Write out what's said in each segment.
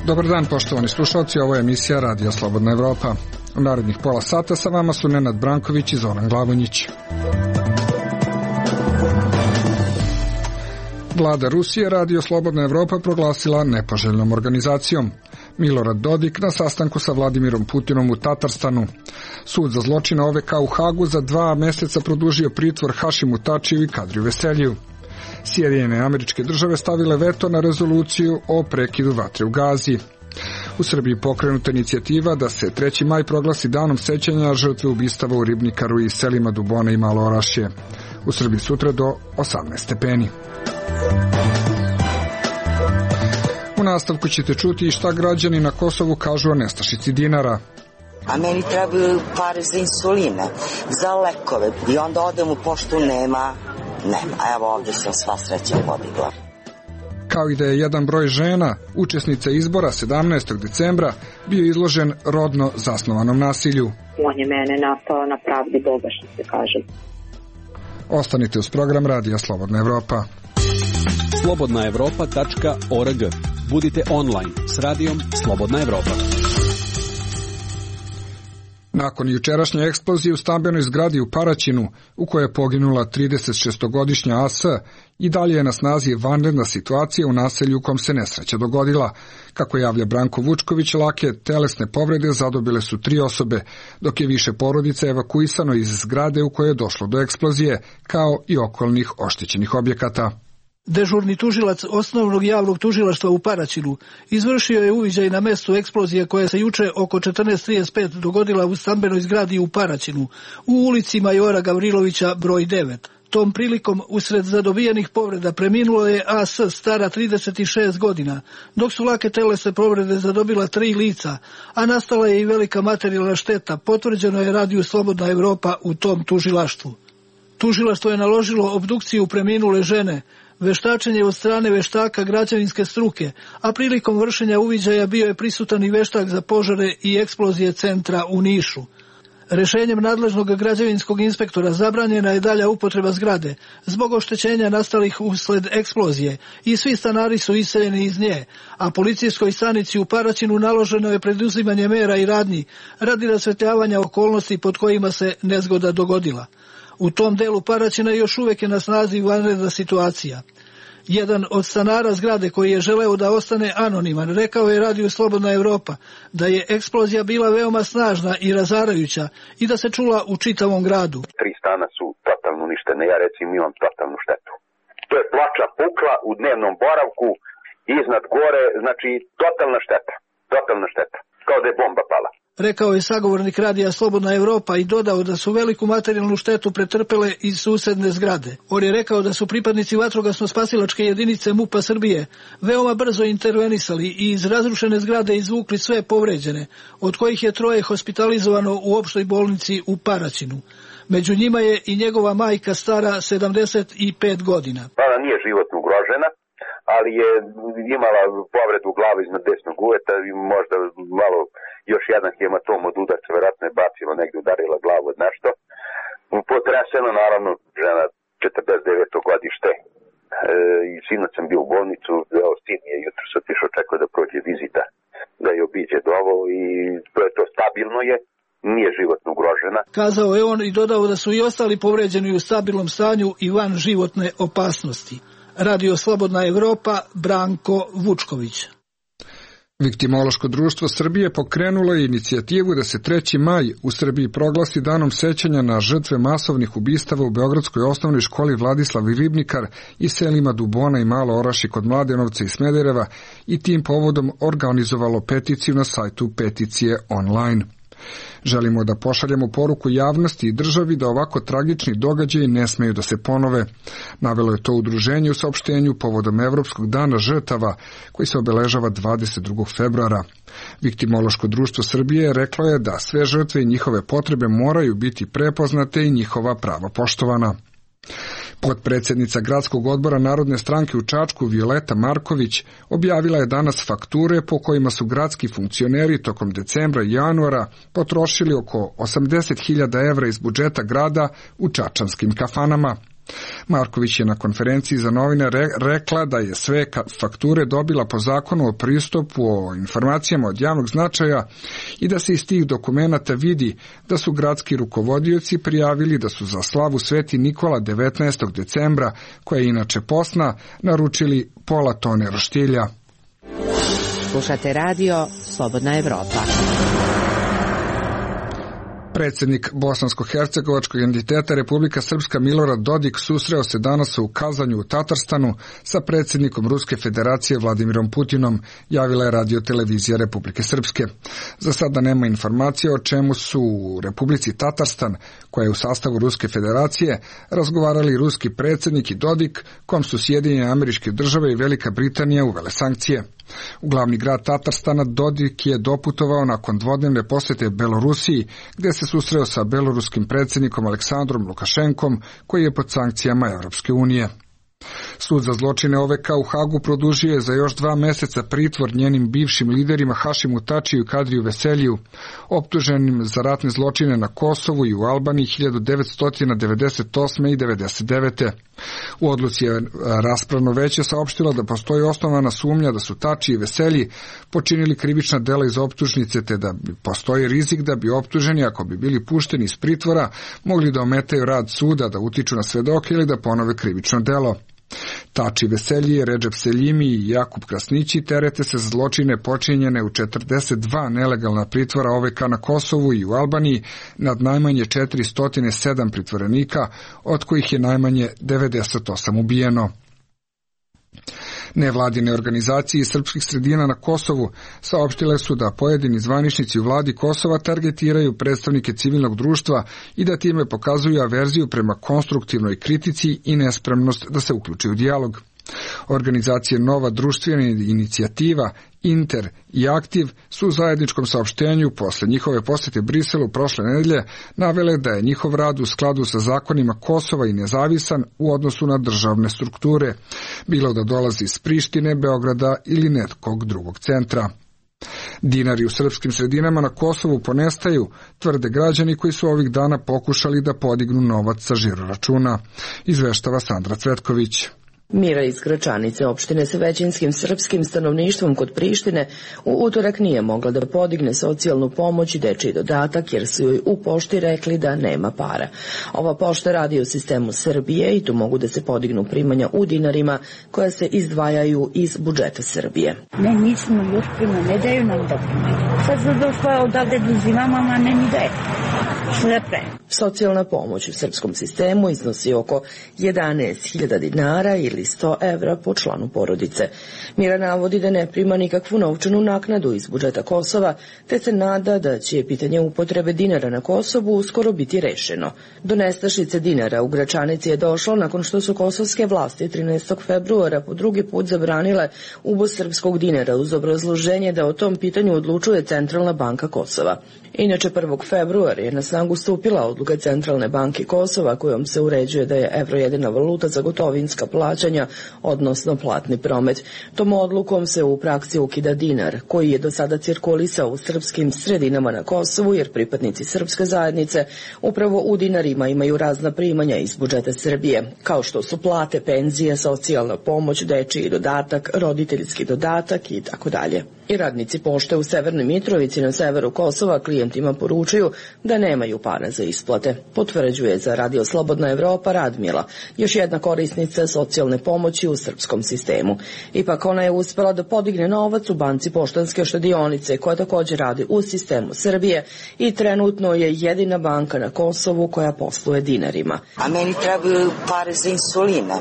Dobar dan, poštovani slušalci, ovo je emisija Radija Slobodna Evropa. U narednih pola sata sa vama su Nenad Branković i Zoran Glavonjić. Vlada Rusije Radio Slobodna Evropa proglasila nepoželjnom organizacijom. Milorad Dodik na sastanku sa Vladimirom Putinom u Tatarstanu. Sud za zločine OVK u Hagu za 2 meseca produžio pritvor Hašimu Tačiju i Kadriju Veseljiju. Sjedinjene Američke Države stavile veto na rezoluciju o prekidu vatre u Gazi. U Srbiji pokrenuta inicijativa da se 3. maj proglasi danom sećanja žrtve ubistava u Ribnikaru i selima Dubona i Malo Orašje. U Srbiji sutra do 18 stepeni. U nastavku ćete čuti šta građani na Kosovu kažu o nestašici dinara. A meni trebaju pare za insuline, za lekove i onda odem u poštu, nema. A evo ovdje sam sva sreća podigla. Kao i da je jedan broj žena, učesnica izbora 17. decembra, bio izložen rodno zasnovanom nasilju. On je mene napao na pravdi Boga, što se kaže. Ostanite uz program Radija Slobodna Evropa. slobodnaevropa.org. Budite online s radijom Slobodna Evropa. Nakon jučerašnje eksplozije u stambenoj zgradi u Paraćinu, u kojoj je poginula 36-godišnja AS, i dalje je na snazi vanredna situacija u naselju u kom se nesreća dogodila. Kako javlja Branko Vučković, lake telesne povrede zadobile su 3 osobe, dok je više porodica evakuisano iz zgrade u kojoj je došlo do eksplozije, kao i okolnih oštećenih objekata. Dežurni tužilac osnovnog javnog tužilaštva u Paraćinu izvršio je uviđaj na mestu eksplozije koja se juče oko 14:35 dogodila u stambenoj zgradi u Paraćinu, u ulici Majora Gavrilovića broj 9. Tom prilikom usred zadobijenih povreda preminulo je AS stara 36 godina, dok su lake telesne povrede zadobila 3 lica, a nastala je i velika materijalna šteta, potvrđeno je Radiju Slobodna Evropa u tom tužilaštvu. Tužilaštvo je naložilo obdukciju preminule žene, veštačenje od strane veštaka građevinske struke, a prilikom vršenja uviđaja bio je prisutan i veštak za požare i eksplozije centra u Nišu. Rešenjem nadležnog građevinskog inspektora zabranjena je dalja upotreba zgrade zbog oštećenja nastalih usled eksplozije i svi stanari su iseljeni iz nje, a policijskoj stanici u Paraćinu naloženo je preduzimanje mera i radnji radi rasvetljavanja okolnosti pod kojima se nezgoda dogodila. U tom delu Paraćina još uvijek je na snazi vanredna situacija. Jedan od stanara zgrade koji je želeo da ostane anoniman rekao je Radiju Slobodna Evropa da je eksplozija bila veoma snažna i razarajuća i da se čula u čitavom gradu. 3 stana su totalno uništene, ja recimo imam totalnu štetu. To je ploča pukla u dnevnom boravku, iznad gore, znači totalna šteta, kao da je bomba pala. Rekao je sagovornik Radija Slobodna Evropa i dodao da su veliku materijalnu štetu pretrpele iz susedne zgrade. On je rekao da su pripadnici vatrogasno-spasilačke jedinice MUP-a Srbije veoma brzo intervenisali i iz razrušene zgrade izvukli sve povređene, od kojih je 3 hospitalizovano u opštoj bolnici u Paraćinu. Među njima je i njegova majka stara 75 godina. Ona nije životno ugrožena, ali je imala povredu u glavi iznad desnog uveta i možda malo još jedan hematom od udarca, verovatno je bacilo negdje, udarila glavu od nešto. Potreseno, naravno, žena 49. godište. I sinoć sam bio u bolnicu, sin je jutro se otišao, čekao da prođe vizita, da je obiđe dovo i to stabilno je, nije životno ugrožena. Kazao je on i dodao da su i ostali povređeni u stabilnom stanju i van životne opasnosti. Radio Slobodna Evropa, Branko Vučković. Viktimološko društvo Srbije pokrenulo je inicijativu da se 3. maj u Srbiji proglasi danom sećanja na žrtve masovnih ubistava u Beogradskoj osnovnoj školi Vladislav Ribnikar i selima Dubona i Malo Orašje kod Mladenovca i Smedereva i tim povodom organizovalo peticiju na sajtu Peticije online. Želimo da pošaljemo poruku javnosti i državi da ovako tragični događaji ne smeju da se ponove. Navelo je to udruženje u saopštenju povodom Evropskog dana žrtava koji se obeležava 22. februara. Viktimološko društvo Srbije reklo je da sve žrtve i njihove potrebe moraju biti prepoznate i njihova prava poštovana. Potpredsjednica Gradskog odbora Narodne stranke u Čačku Violeta Marković objavila je danas fakture po kojima su gradski funkcioneri tokom decembra i januara potrošili oko 80.000 evra iz budžeta grada u čačanskim kafanama. Marković je na konferenciji za novine rekla da je sve fakture dobila po zakonu o pristupu o informacijama od javnog značaja i da se iz tih dokumenata vidi da su gradski rukovodioci prijavili da su za slavu Sveti Nikola 19. decembra, koja je inače posna, naručili pola tone roštilja. Slušate radio Slobodna Evropa. Predsjednik bosansko-hercegovačkog entiteta Republika Srpska Milorad Dodik susreo se danas u Kazanju u Tatarstanu sa predsjednikom Ruske federacije Vladimirom Putinom, javila je radiotelevizija Republike Srpske. Za sada nema informacije o čemu su u Republici Tatarstan, koja je u sastavu Ruske federacije, razgovarali ruski predsjednik i Dodik, kom su Sjedinjene Američke Države i Velika Britanija uvele sankcije. U glavni grad Tatarstana Dodik je doputovao nakon dvodnevne posjete Belorusiji, gdje se susreo sa beloruskim predsjednikom Aleksandrom Lukašenkom, koji je pod sankcijama Europske unije. Sud za zločine OVK u Hagu produžio je za još 2 mjeseca pritvor njenim bivšim liderima Hašimu Tačiju i Kadriju Veseliju, optuženim za ratne zločine na Kosovu i u Albaniji 1998. i 1999. U odluci je raspravno veće saopštilo da postoji osnovana sumnja da su Tači i Veselji počinili krivična dela iz optužnice, te da postoji rizik da bi optuženi, ako bi bili pušteni iz pritvora, mogli da ometaju rad suda, da utiču na svedoke ili da ponove krivično delo. Tači Veselji, Redžep Seljimi i Jakub Krasnići terete se za zločine počinjene u 42 nelegalna pritvora OVK na Kosovu i u Albaniji nad najmanje 407 pritvorenika, od kojih je najmanje 98 ubijeno. Nevladine organizacije iz srpskih sredina na Kosovu saopštile su da pojedini zvaničnici u vladi Kosova targetiraju predstavnike civilnog društva i da time pokazuju averziju prema konstruktivnoj kritici i nespremnost da se uključi u dijalog. Organizacije Nova društvena inicijativa, Inter i Aktiv su u zajedničkom saopštenju posle njihove posjete Briselu prošle nedelje navele da je njihov rad u skladu sa zakonima Kosova i nezavisan u odnosu na državne strukture, bilo da dolazi iz Prištine, Beograda ili nekog drugog centra. Dinari u srpskim sredinama na Kosovu ponestaju, tvrde građani koji su ovih dana pokušali da podignu novac sa žiroračuna, izveštava Sandra Cvetković. Mira iz Gračanice, opštine sa većinskim srpskim stanovništvom kod Prištine, u utorak nije mogla da podigne socijalnu pomoć i dečiji dodatak jer su joj u pošti rekli da nema para. Ova pošta radi u sistemu Srbije i tu mogu da se podignu primanja u dinarima koja se izdvajaju iz budžeta Srbije. Ne, nismo još prima, ne daju nam da primaju. Sad su došla odavde da uzimamo, a ne ni daje. Socijalna pomoć u srpskom sistemu iznosi oko 11.000 dinara ili 100 evra po članu porodice. Mira navodi da ne prima nikakvu novčanu naknadu iz budžeta Kosova, te se nada da će pitanje upotrebe dinara na Kosovu uskoro biti rešeno. Do nestašice dinara u Gračanici je došlo nakon što su kosovske vlasti 13. februara po drugi put zabranile uvoz srpskog dinara uz obrazloženje da o tom pitanju odlučuje Centralna banka Kosova. Inače, 1. februara je na snagu stupila odluka Centralne banke Kosova kojom se uređuje da je evro jedina valuta za gotovinska plaćanja, odnosno platni promet. Tom odlukom se u praksi ukida dinar, koji je do sada cirkulisao u srpskim sredinama na Kosovu, jer pripadnici srpske zajednice upravo u dinarima imaju razna primanja iz budžeta Srbije, kao što su plate, penzije, socijalna pomoć, dečiji dodatak, roditeljski dodatak i tako dalje. I radnici pošte u Severnoj Mitrovici na severu Kosova klijentima poručuju da nemaju para za isplate. Potvrđuje za Radio Slobodna Evropa Radmila, još jedna korisnica socijalne pomoći u srpskom sistemu. Ipak ona je uspela da podigne novac u banci Poštanske štedionice, koja također radi u sistemu Srbije i trenutno je jedina banka na Kosovu koja posluje dinarima. A meni trebaju pare za insuline,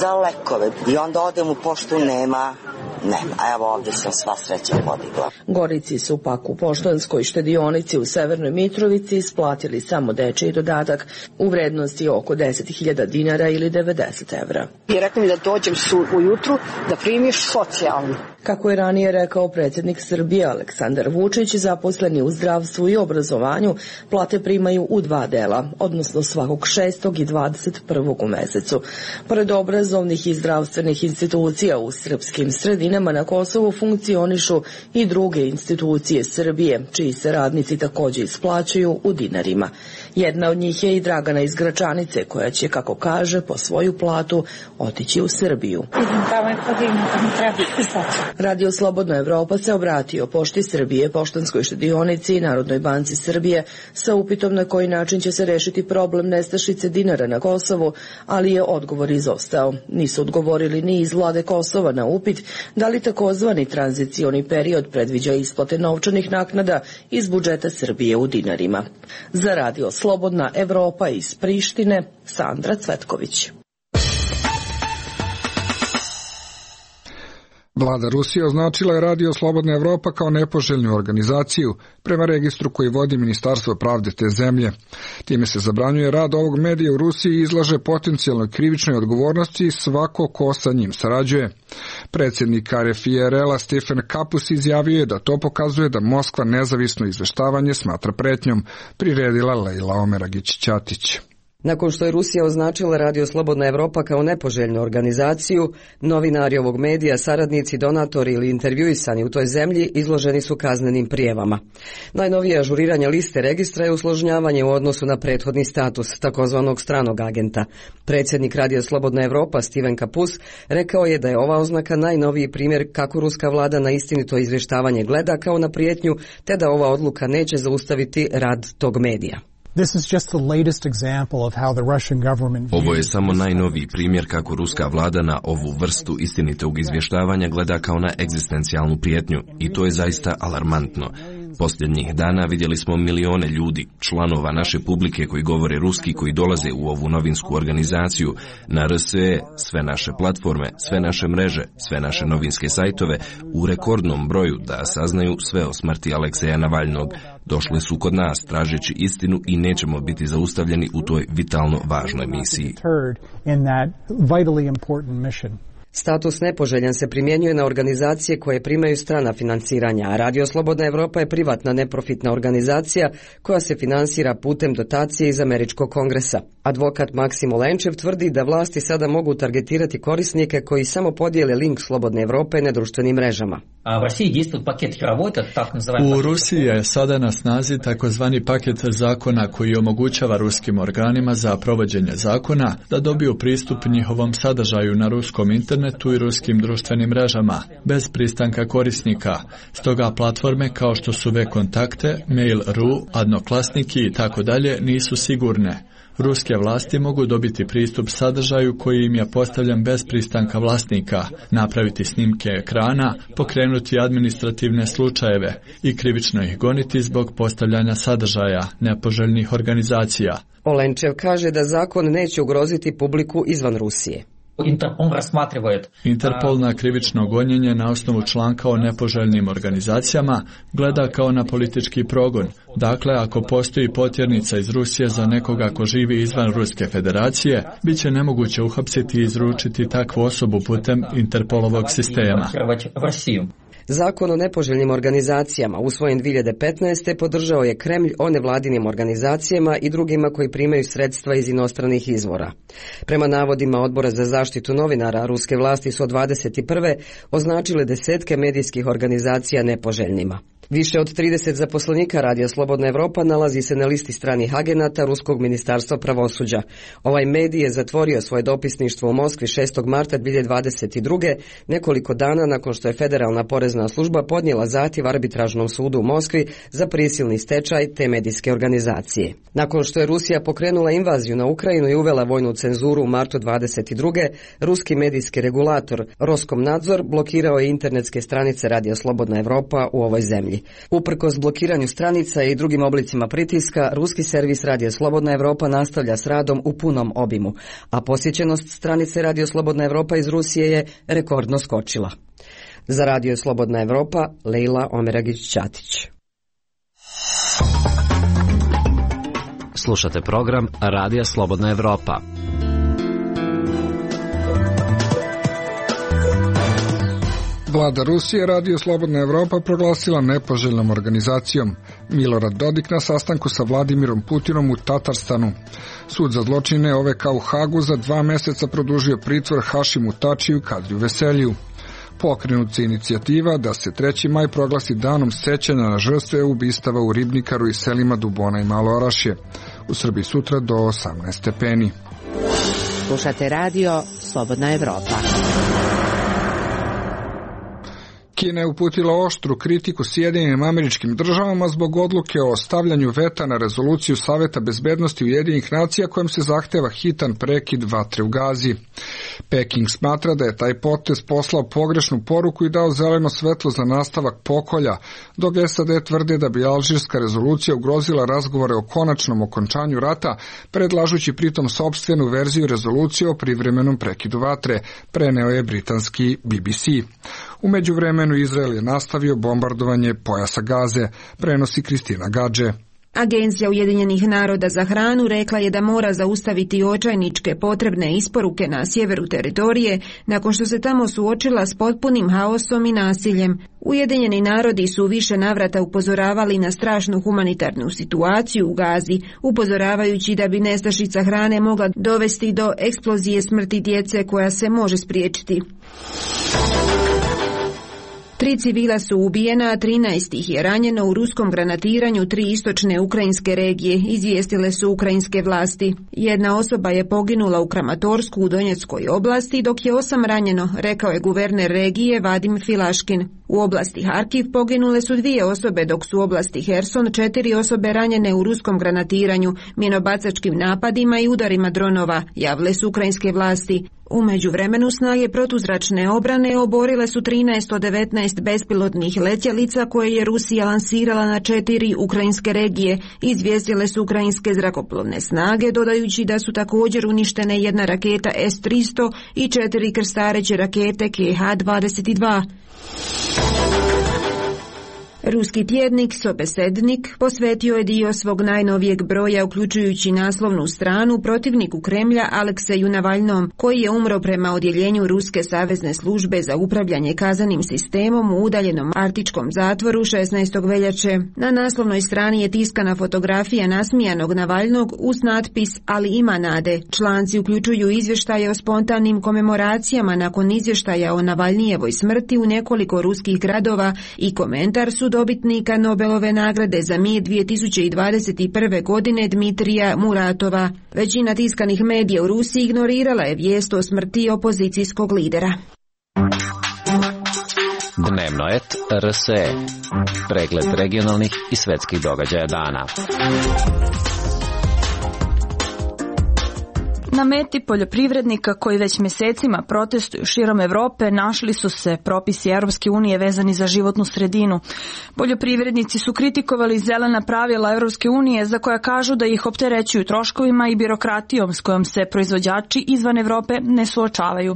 za lekove i onda odem u poštu, nema. A evo ovdje sam sva sreća podigla. Gorici su pak u Poštanskoj štedionici u Severnoj Mitrovici isplatili samo dečiji dodatak u vrednosti oko 10.000 dinara ili 90 evra. I rekli mi da dođem ujutru da primiš socijalnu. Kako je ranije rekao predsjednik Srbije Aleksandar Vučić, zaposleni u zdravstvu i obrazovanju plate primaju u 2 dela, odnosno svakog 6. i 21. u mesecu. Pored obrazovnih i zdravstvenih institucija u srpskim sredinama na Kosovu funkcionišu i druge institucije Srbije, čiji se radnici također isplaćuju u dinarima. Jedna od njih je i Dragana iz Gračanice, koja će, kako kaže, po svoju platu otići u Srbiju. Radio Slobodna Evropa se obratio Pošti Srbije, Poštanskoj štedionici i Narodnoj banci Srbije sa upitom na koji način će se rešiti problem nestašice dinara na Kosovu, ali je odgovor izostao. Nisu odgovorili ni iz vlade Kosova na upit da li takozvani tranzicioni period predviđa isplate novčanih naknada iz budžeta Srbije u dinarima. Za Radio Slobodna Evropa iz Prištine, Sandra Cvetković. Vlada Rusije označila je Radio Slobodna Evropa kao nepoželjnu organizaciju prema registru koji vodi Ministarstvo pravde te zemlje. Time se zabranjuje rad ovog medija u Rusiji i izlaže potencijalnoj krivičnoj odgovornosti svako ko sa njim sarađuje. Predsjednik RFI-a Stefan Kapus izjavio je da to pokazuje da Moskva nezavisno izveštavanje smatra pretnjom, priredila Lejla Omeragić-Ćatić. Nakon što je Rusija označila Radio Slobodna Evropa kao nepoželjnu organizaciju, novinari ovog medija, saradnici, donatori ili intervjuisani u toj zemlji izloženi su kaznenim prijavama. Najnovije ažuriranje liste registra je usložnjavanje u odnosu na prethodni status takozvanog stranog agenta. Predsjednik Radio Slobodna Evropa Steven Kapus rekao je da je ova oznaka najnoviji primjer kako ruska vlada na istinito izvještavanje gleda kao na prijetnju, te da ova odluka neće zaustaviti rad tog medija. Ovo je samo najnoviji primjer kako ruska vlada na ovu vrstu istinitog izvještavanja gleda kao na egzistencijalnu prijetnju i to je zaista alarmantno. Posljednjih dana vidjeli smo milione ljudi, članova naše publike koji govore ruski, koji dolaze u ovu novinsku organizaciju, na RSE, sve naše platforme, sve naše mreže, sve naše novinske sajtove, u rekordnom broju da saznaju sve o smrti Alekseja Navalnog. Došli su kod nas tražeći istinu i nećemo biti zaustavljeni u toj vitalno važnoj misiji. Status nepoželjan se primjenjuje na organizacije koje primaju strana financiranja, a Radio Slobodna Evropa je privatna neprofitna organizacija koja se finansira putem dotacije iz Američkog kongresa. Advokat Maksim Olenčev tvrdi da vlasti sada mogu targetirati korisnike koji samo podijele link Slobodne Evrope na društvenim mrežama. U Rusiji je sada na snazi takozvani paket zakona koji omogućava ruskim organima za provođenje zakona da dobiju pristup njihovom sadržaju na ruskom internetu i ruskim društvenim mrežama, bez pristanka korisnika. Stoga platforme kao što su V-kontakte, Mail.ru, Adnoklasniki i tako dalje nisu sigurne. Ruske vlasti mogu dobiti pristup sadržaju koji im je postavljen bez pristanka vlasnika, napraviti snimke ekrana, pokrenuti administrativne slučajeve i krivično ih goniti zbog postavljanja sadržaja nepoželjnih organizacija. Olenčev kaže da zakon neće ugroziti publiku izvan Rusije. Interpol na krivično gonjenje na osnovu članka o nepoželjnim organizacijama gleda kao na politički progon. Dakle, ako postoji potjernica iz Rusije za nekoga ko živi izvan Ruske federacije, bit će nemoguće uhapsiti i izručiti takvu osobu putem Interpolovog sistema. Zakon o nepoželjnim organizacijama usvojen 2015. podržao je Kremlj o nevladinim organizacijama i drugima koji primaju sredstva iz inostranih izvora. Prema navodima Odbora za zaštitu novinara, ruske vlasti su od 21. označile desetke medijskih organizacija nepoželjnima. Više od 30 zaposlenika Radija Slobodna Evropa nalazi se na listi stranih agenata Ruskog ministarstva pravosuđa. Ovaj medij je zatvorio svoje dopisništvo u Moskvi 6. marta 2022. nekoliko dana nakon što je Federalna porezna služba podnijela zahtjev arbitražnom sudu u Moskvi za prisilni stečaj te medijske organizacije. Nakon što je Rusija pokrenula invaziju na Ukrajinu i uvela vojnu cenzuru u martu 22. ruski medijski regulator Roskomnadzor blokirao je internetske stranice Radija Slobodna Evropa u ovoj zemlji. Uprkos blokiranju stranica i drugim oblicima pritiska, ruski servis Radio Slobodna Evropa nastavlja s radom u punom obimu, a posjećenost stranice Radio Slobodna Evropa iz Rusije je rekordno skočila. Za Radio Slobodna Evropa, Lejla Omeragić-Ćatić. Slušate program Radija Slobodna Evropa. Vlada Rusije Radio Slobodna Evropa proglasila nepoželjnom organizacijom. Milorad Dodik na sastanku sa Vladimirom Putinom u Tatarstanu. Sud za zločine OVK u Hagu za 2 mjeseca produžio pritvor Hašimu Tačiju i Kadriju Veseliju. Pokrenut se inicijativa da se 3. maj proglasi danom sećanja na žrtve ubistava u Ribnikaru i selima Dubona i Malo Orašje. u Srbiji sutra do 18 stepeni. Slušate radio Slobodna Evropa. Kina je uputila oštru kritiku Sjedinjenim Američkim Državama zbog odluke o stavljanju veta na rezoluciju Saveta bezbednosti Ujedinjenih nacija kojom se zahteva hitan prekid vatre u Gazi. Peking smatra da je taj potez poslao pogrešnu poruku i dao zeleno svetlo za nastavak pokolja, dok SAD tvrde da bi alžirska rezolucija ugrozila razgovore o konačnom okončanju rata, predlažući pritom sopstvenu verziju rezolucije o privremenom prekidu vatre, preneo je britanski BBC. U međuvremenu Izrael je nastavio bombardovanje pojasa Gaze, prenosi Kristina Gadže. Agencija Ujedinjenih naroda za hranu rekla je da mora zaustaviti očajničke potrebne isporuke na sjeveru teritorije nakon što se tamo suočila s potpunim haosom i nasiljem. Ujedinjeni narodi su više navrata upozoravali na strašnu humanitarnu situaciju u Gazi, upozoravajući da bi nestašica hrane mogla dovesti do eksplozije smrti djece koja se može spriječiti. 3 civila su ubijena, a 13 ih je ranjeno u ruskom granatiranju 3 istočne ukrajinske regije, izvijestile su ukrajinske vlasti. Jedna osoba je poginula u Kramatorsku u Donjeckoj oblasti, dok je 8 ranjeno, rekao je guverner regije Vadim Filaškin. U oblasti Harkiv poginule su 2 osobe, dok su u oblasti Herson 4 osobe ranjene u ruskom granatiranju, minobacačkim napadima i udarima dronova, javile su ukrajinske vlasti. U međuvremenu snage protuzračne obrane oborile su 13 od 19 bespilotnih letjelica koje je Rusija lansirala na 4 ukrajinske regije, izvijestile su ukrajinske zrakoplovne snage, dodajući da su također uništene 1 raketa S-300 i 4 krstareće rakete KH-22. Ruski tjednik Sobesednik posvetio je dio svog najnovijeg broja, uključujući naslovnu stranu, protivniku Kremlja Alekseju Navalnom, koji je umro prema odjeljenju Ruske savezne službe za upravljanje kaznenim sistemom u udaljenom arktičkom zatvoru 16. veljače. Na naslovnoj strani je tiskana fotografija nasmijanog Navalnog uz natpis "Ali ima nade". Članci uključuju izvještaje o spontanim komemoracijama nakon izvještaja o Navalnijevoj smrti u nekoliko ruskih gradova i komentar su dobitnika Nobelove nagrade za mir 2021. godine Dmitrija Muratova. Većina tiskanih medija u Rusiji ignorirala je vijest o smrti opozicijskog lidera. Dnevnoet RSE. Pregled regionalnih i svetskih događaja dana. Na meti poljoprivrednika koji već mjesecima protestuju širom Europe našli su se propisi Europske unije vezani za životnu sredinu. Poljoprivrednici su kritikovali zelena pravila Europske unije za koja kažu da ih opterećuju troškovima i birokratijom s kojom se proizvođači izvan Europe ne suočavaju.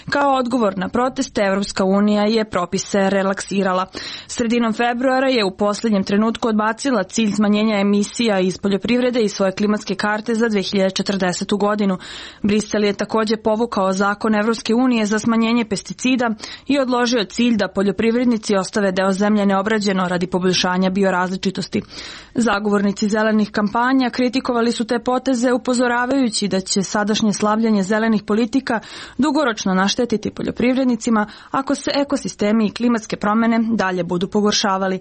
Kao odgovor na proteste Europska unija je propise relaksirala. Sredinom februara je u posljednjem trenutku odbacila cilj smanjenja emisija iz poljoprivrede i svoje klimatske karte za 2040. godinu. Brisel je također povukao zakon Evropske unije za smanjenje pesticida i odložio cilj da poljoprivrednici ostave deo zemlje neobrađeno radi poboljšanja biorazličitosti. Zagovornici zelenih kampanja kritikovali su te poteze upozoravajući da će sadašnje slavljanje zelenih politika dugoročno naštetiti poljoprivrednicima ako se ekosistemi i klimatske promjene dalje budu pogoršavali.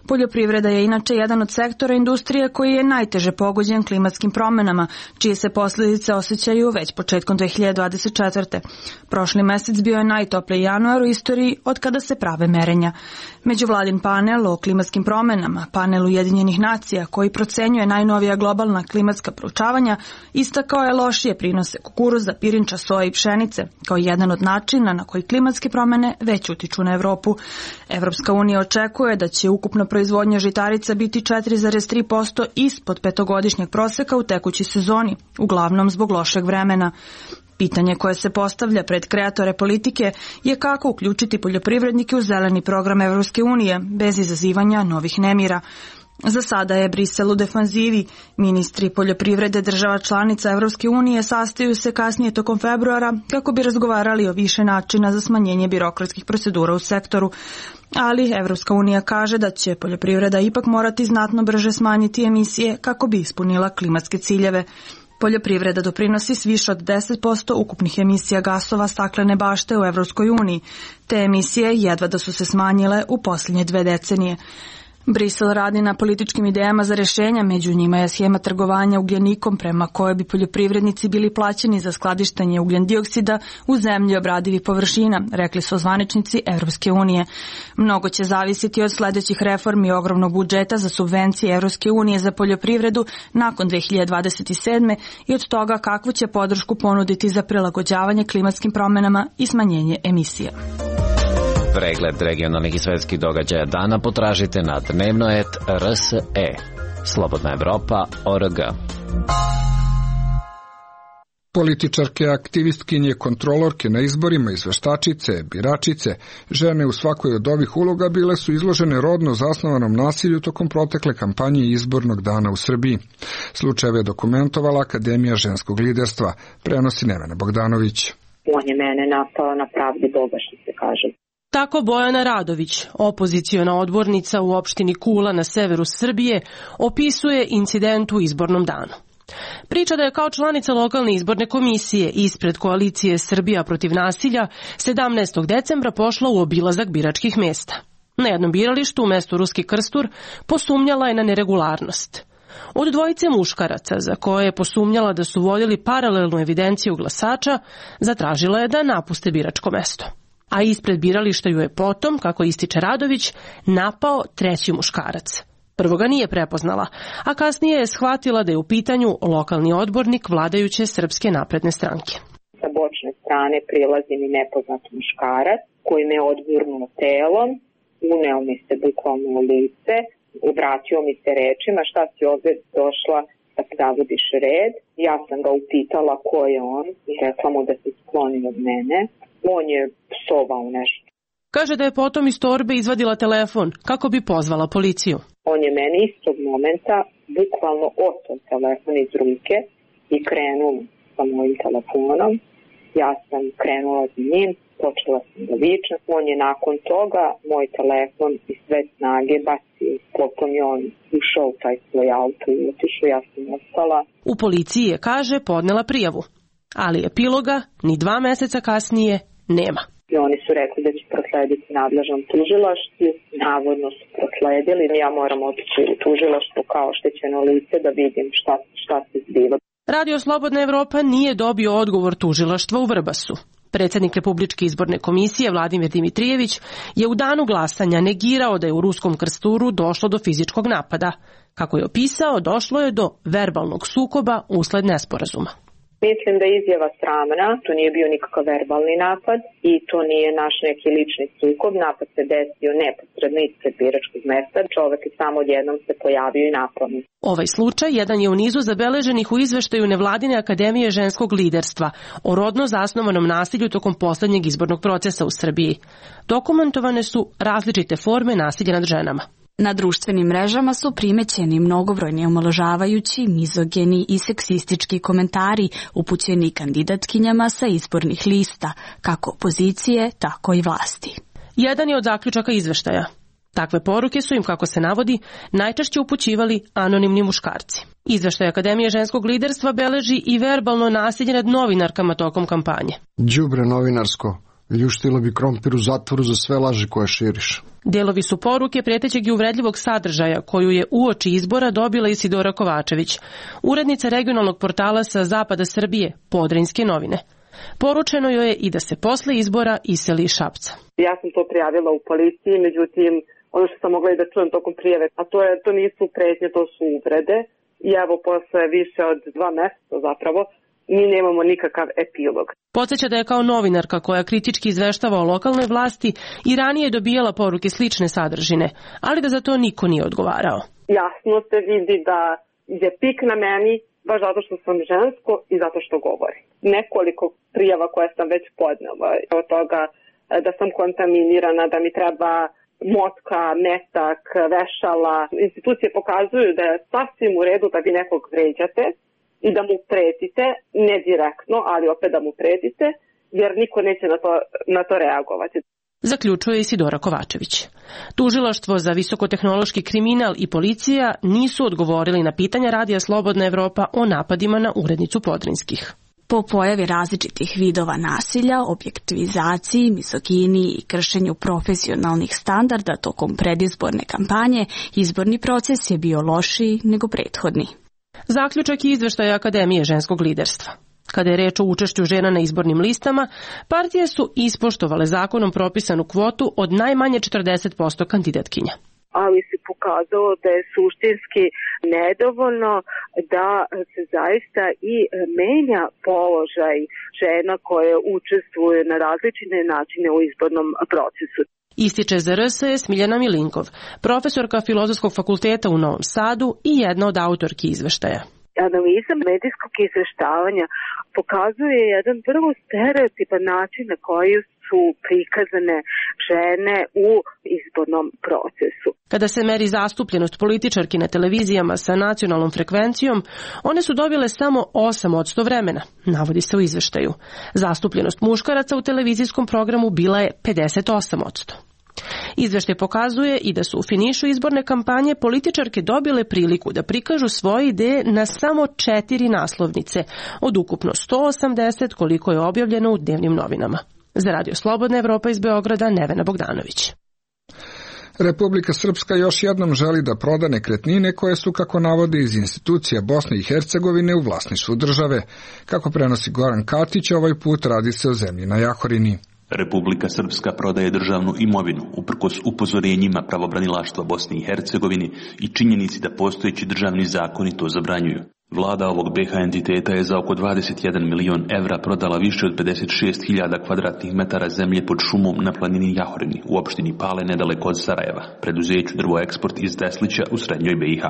Poljoprivreda je inače jedan od sektora industrije koji je najteže pogođen klimatskim promjenama, čije se posljedice osjećaju već početkom 2024. Prošli mjesec bio je najtopliji januar u istoriji od kada se prave merenja. Međuvladin panel o klimatskim promjenama, panel Ujedinjenih nacija koji procenjuje najnovija globalna klimatska proučavanja, istakao je lošije prinose kukuruza, pirinča, soje i pšenice kao jedan od načina na koji klimatske promjene već utiču na Europu. Evropska unija očekuje da će ukupna proizvodnja žitarica biti 4,3% ispod petogodišnjeg proseka u tekućoj sezoni, uglavnom zbog lošeg vremena. Pitanje koje se postavlja pred kreatore politike je kako uključiti poljoprivrednike u zeleni program Evropske unije bez izazivanja novih nemira. Za sada je Brisel u defanzivi. Ministri poljoprivrede država članica Evropske unije sastaju se kasnije tokom februara kako bi razgovarali o više načina za smanjenje birokratskih procedura u sektoru. Ali Evropska unija kaže da će poljoprivreda ipak morati znatno brže smanjiti emisije kako bi ispunila klimatske ciljeve. Poljoprivreda doprinosi s više od 10% ukupnih emisija gasova staklene bašte u Evropskoj uniji. Te emisije jedva da su se smanjile u posljednje 2 decenije. Brisel radi na političkim idejama za rješenja, među njima je schema trgovanja ugljenikom prema kojoj bi poljoprivrednici bili plaćeni za skladištenje ugljendioksida u zemlji obradivih površina, rekli su zvaničnici Evropske unije. Mnogo će zavisiti od sljedećih reformi ogromnog budžeta za subvencije Evropske unije za poljoprivredu nakon 2027. i od toga kakvu će podršku ponuditi za prilagođavanje klimatskim promjenama i smanjenje emisija. Pregled regionalnih i svetskih događaja dana potražite na dnevnoet.rse. Slobodna Evropa.org. Političarke, aktivistkinje, kontrolorke na izborima, izveštačice, biračice, žene u svakoj od ovih uloga bile su izložene rodno zasnovanom nasilju tokom protekle kampanje izbornog dana u Srbiji. Slučajeve je dokumentovala Akademija ženskog liderstva, prenosi Nevena Bogdanović. On je mene napao na pravdi Boga, što se kaže. Tako Bojana Radović, opoziciona odbornica u opštini Kula na severu Srbije, opisuje incident u izbornom danu. Priča da je kao članica lokalne izborne komisije ispred koalicije Srbija protiv nasilja 17. decembra pošla u obilazak biračkih mesta. Na jednom biralištu u mestu Ruski Krstur posumnjala je na neregularnost. Od dvojice muškaraca, za koje je posumnjala da su vodili paralelnu evidenciju glasača, zatražila je da napuste biračko mesto. A ispred birališta ju je potom, kako ističe Radović, napao treći muškarac. Prvo ga nije prepoznala, a kasnije je shvatila da je u pitanju lokalni odbornik vladajuće Srpske napredne stranke. Sa bočne strane prilazi mi nepoznat muškarac koji me odgurnuo telom, uneo mi se bukvalno u lice, obratio mi se rečima šta si ovdje došla da zavodiš red. Ja sam ga upitala ko je on i rekla mu da se skloni od mene. On je psovao nešto. Kaže da je potom iz torbe izvadila telefon kako bi pozvala policiju. On je meni istog momenta bukvalno oteo telefon iz ruke i krenuo sa mojim telefonom. Ja sam krenula za njim, počela sam da vičem. On je nakon toga moj telefon iz sve snage bacio. Potom je on ušao u taj svoj auto i otišao, ja sam ostala. U policiji je, kaže, podnela prijavu. Ali epiloga ni 2 meseca kasnije nema. I oni su rekli da će proslediti nadležnom tužilaštvu. Navodno su prosledili. Ja moram otići u tužilaštvo kao oštećeno lice da vidim šta se zbiva. Radio Slobodna Evropa nije dobio odgovor tužilaštva u Vrbasu. Predsjednik Republičke izborne komisije Vladimir Dimitrijević je u danu glasanja negirao da je u Ruskom Krsturu došlo do fizičkog napada. Kako je opisao, došlo je do verbalnog sukoba usled nesporazuma. Mislim da je izjava sramna, to nije bio nikakav verbalni napad i to nije naš neki lični sukob. Napad se desio neposredno ispred biračkog mesta, čovek je samo odjednom se pojavio i napao. Ovaj slučaj jedan je u nizu zabeleženih u izveštaju Nevladine akademije ženskog liderstva o rodno zasnovanom nasilju tokom posljednjeg izbornog procesa u Srbiji. Dokumentovane su različite forme nasilja nad ženama. Na društvenim mrežama su primećeni mnogobrojni omalovažavajući, mizogeni i seksistički komentari upućeni kandidatkinjama sa izbornih lista, kako opozicije, tako i vlasti. Jedan je od zaključaka izveštaja. Takve poruke su im, kako se navodi, najčešće upućivali anonimni muškarci. Izveštaj Akademije ženskog liderstva beleži i verbalno nasilje nad novinarkama tokom kampanje. Đubre novinarsko, ljuštilo bi krompir u zatvoru za sve laži koje širiš. Dijelovi su poruke prijetećeg i uvredljivog sadržaja koju je uoči izbora dobila Isidora Kovačević, urednica regionalnog portala sa zapada Srbije, Podrinjske novine. Poručeno joj je i da se posle izbora iseli iz Šapca. Ja sam to prijavila u policiji, međutim, ono što sam mogla i da čujem tokom prijave, a to nisu pretnje, to su uvrede. I evo, posle više od 2 meseca zapravo, mi nemamo nikakav epilog. Podsjeća da je kao novinarka koja kritički izveštava o lokalnoj vlasti i ranije dobijala poruke slične sadržine, ali da za to niko nije odgovarao. Jasno se vidi da je pik na meni baš zato što sam žensko i zato što govorim. Nekoliko prijava koje sam već podnela od toga da sam kontaminirana, da mi treba motka, metak, vešala. Institucije pokazuju da je sasvim u redu da vi nekog vređate i da mu pretite, ne direktno, ali opet da mu pretite, jer niko neće na to reagovati. Zaključuje Isidora Kovačević. Tužilaštvo za visokotehnološki kriminal i policija nisu odgovorili na pitanja Radija Slobodna Evropa o napadima na urednicu Podrinjskih. Po pojavi različitih vidova nasilja, objektivizaciji, mizoginiji i kršenju profesionalnih standarda tokom predizborne kampanje, izborni proces je bio lošiji nego prethodni. Zaključak je izveštaja Akademije ženskog liderstva. Kada je reč o učešću žena na izbornim listama, partije su ispoštovale zakonom propisanu kvotu od najmanje 40% kandidatkinja. Ali se pokazalo da je suštinski nedovoljno da se zaista i menja položaj žena koje učestvuju na različite načine u izbornom procesu. Ističe za RS Smiljana Milinkov, profesorka Filozofskog fakulteta u Novom Sadu i jedna od autorki izveštaja. Analiza medijskog izveštavanja pokazuje jedan vrlo stereotipan način na koji su prikazane žene u izbornom procesu. Kada se meri zastupljenost političarki na televizijama sa nacionalnom frekvencijom, one su dobile samo 8% vremena, navodi se u izveštaju. Zastupljenost muškaraca u televizijskom programu bila je 58%. Izveštaj pokazuje i da su u finišu izborne kampanje političarke dobile priliku da prikažu svoje ideje na samo 4 naslovnice, od ukupno 180 koliko je objavljeno u dnevnim novinama. Za Radio Slobodna Evropa iz Beograda, Nevena Bogdanović. Republika Srpska još jednom želi da proda nekretnine koje su, kako navode iz institucija Bosne i Hercegovine, u vlasništvu države. Kako prenosi Goran Katić, ovaj put radi se o zemlji na Jahorini. Republika Srpska prodaje državnu imovinu uprkos upozorenjima pravobranilaštva Bosne i Hercegovine i činjenici da postojeći državni zakoni to zabranjuju. Vlada ovog BiH entiteta je za oko 21 milion evra prodala više od 56.000 kvadratnih metara zemlje pod šumom na planini Jahorini u opštini Pale nedaleko od Sarajeva, preduzeću Drvoeksport iz Teslića u srednjoj BiH.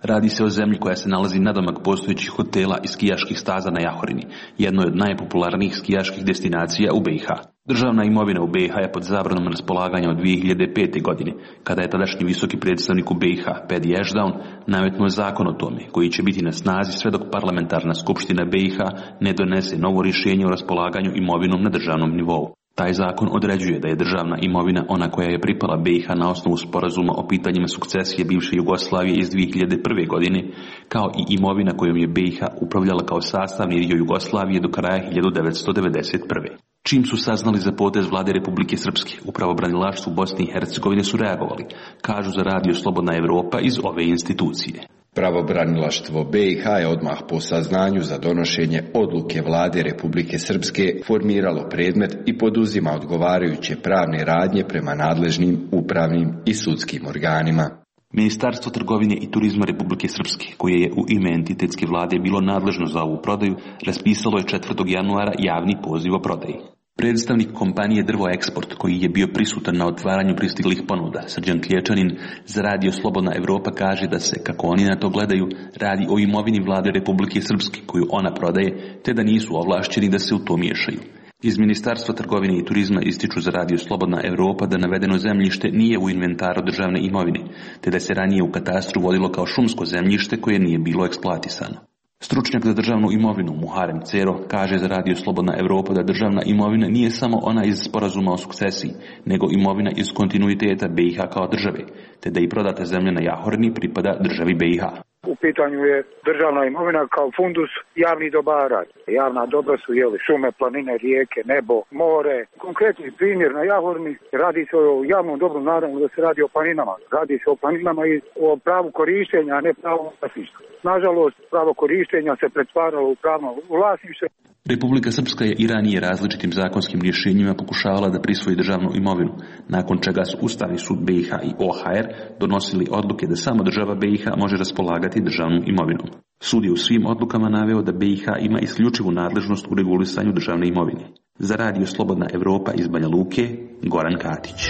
Radi se o zemlji koja se nalazi nadomak postojećih hotela i skijaških staza na Jahorini, jednoj od najpopularnijih skijaških destinacija u BiH. Državna imovina u BiH je pod zabranom raspolaganja od 2005. godine, kada je tadašnji visoki predstavnik u BiH, Pedi Ešdaun, nametnuo zakon o tome, koji će biti na snazi sve dok parlamentarna skupština BiH ne donese novo rješenje o raspolaganju imovinom na državnom nivou. Taj zakon određuje da je državna imovina ona koja je pripala BiH na osnovu sporazuma o pitanjima sukcesije bivše Jugoslavije iz 2001. godine, kao i imovina kojom je BiH upravljala kao sastavni dio Jugoslavije do kraja 1991. Čim su saznali za potez vlade Republike Srpske, u pravobranilaštvu Bosne i Hercegovine su reagovali, kažu za Radio Slobodna Evropa iz ove institucije. Pravobranilaštvo BiH je odmah po saznanju za donošenje odluke vlade Republike Srpske formiralo predmet i poduzima odgovarajuće pravne radnje prema nadležnim upravnim i sudskim organima. Ministarstvo trgovine i turizma Republike Srpske, koje je u ime entitetske vlade bilo nadležno za ovu prodaju, raspisalo je 4. januara javni poziv o prodaji. Predstavnik kompanije Drvoeksport, koji je bio prisutan na otvaranju pristiglih ponuda, Srđan Klječanin, za Radio Slobodna Evropa kaže da se, kako oni na to gledaju, radi o imovini vlade Republike Srpske, koju ona prodaje, te da nisu ovlašćeni da se u to miješaju. Iz Ministarstva trgovine i turizma ističu za Radio Slobodna Evropa da navedeno zemljište nije u inventaru državne imovine, te da se ranije u katastru vodilo kao šumsko zemljište koje nije bilo eksploatisano. Stručnjak za državnu imovinu Muharem Cero kaže za Radio Slobodna Evropa da državna imovina nije samo ona iz sporazuma o sukcesiji, nego imovina iz kontinuiteta BiH kao države, te da i prodata zemlja na Jahorini pripada državi BiH. U pitanju je državna imovina kao fundus javnih dobara. Javna dobra su šume, planine, rijeke, nebo, more. Konkretni primjer na Jahorini, radi se o javnom dobru, naravno da se radi o planinama. Radi se o planinama i o pravu korištenja, a ne pravu vlasništva. Nažalost, pravo korištenja se pretvaralo u pravno vlasništvo. Republika Srpska je i ranije različitim zakonskim rješenjima pokušavala da prisvoji državnu imovinu, nakon čega su Ustavni sud BiH i OHR donosili odluke da samo država BiH može raspolagati državnom imovinom. Sud je u svim odlukama naveo da BiH ima isključivu nadležnost u regulisanju državne imovine. Za Radio Slobodna Evropa iz Banja Luke, Goran Katić.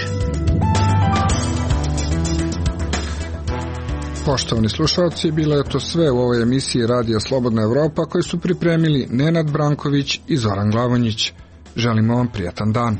Poštovani slušalci, bilo je to sve u ovoj emisiji Radija Slobodna Evropa koju su pripremili Nenad Branković i Zoran Glavonjić. Želimo vam prijatan dan.